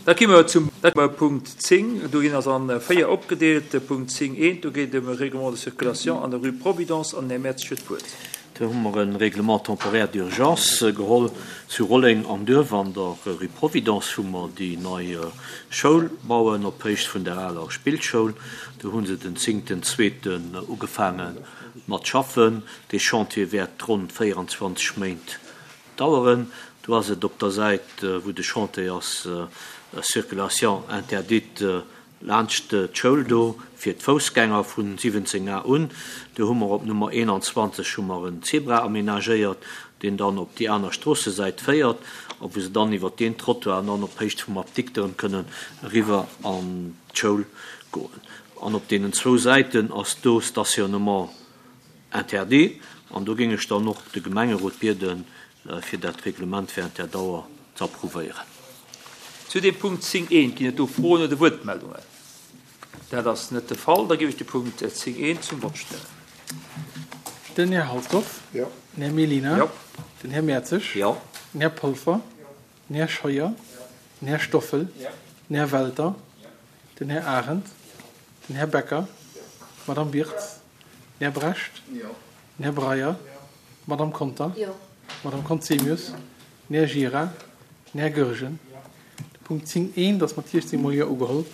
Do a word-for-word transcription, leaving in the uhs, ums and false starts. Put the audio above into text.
Da gi mer zum Punkt zéng. Do ginn ass an véier opgedeelt. De Punkt zéng eent, do geet et ëm e Règlement de circulation an der Rue Providence an den Här Mertz huet d'Wuert. Do hu mer e Règlement temporaire d'urgence geholl zu Rolleng am Duerf an der Rue Providence, wou mer déi nei Schoul bauen op Héicht vun der aler Spillschoul. Do hu se den zéngten zweeten ugefaange mat schaffen. Dee Chantier wäert ronn véierundzwanzeg Méint daueren. Do ass et op der Säit, wou de Chantier ass, Circulation interdite laanscht d'Schoul do fir d'Foussgänger vun siwwenzéng A un. Do hu mer op Nummer eenanzwanzeg hu mer en Zebra aménagéiert, deen dann op déi aner Stroossesäit féiert a wou se dann iwwert deen Trottoir an dann op Héicht vum Apdikt erëm kënnen eriwwer an d'Schoul goen. An op deenen zwou Säiten ass do Stationnement interdit. An do géing ech dann och de Gemengerot bieden, fir dat Reglement während där Dauer ze approuvéieren. Zu dem Punkt zéng eent ginn et do Froen oder Wuertmeldungen? Dat ass net de Fall. Da géif ech de Punkt zéng eent zum Vott stellen. Den Här Halsdorf. Jo. Den Här Mellina. Jo. Den Här Mertzig. Jo. Den Här Polfer. Den Här Scheuer. Den Här Stoffel. Den Här Welter. Den Här Arendt. Den Här Becker. D'Madame Birtz. Den Här Brecht. Den Här Breyer. D'Madame Conter. D'Madame Conzemius. Den Här Gira. Den Här Goergen. De Punkt zéng eent ass mat siechzéng mol Jo ugeholl.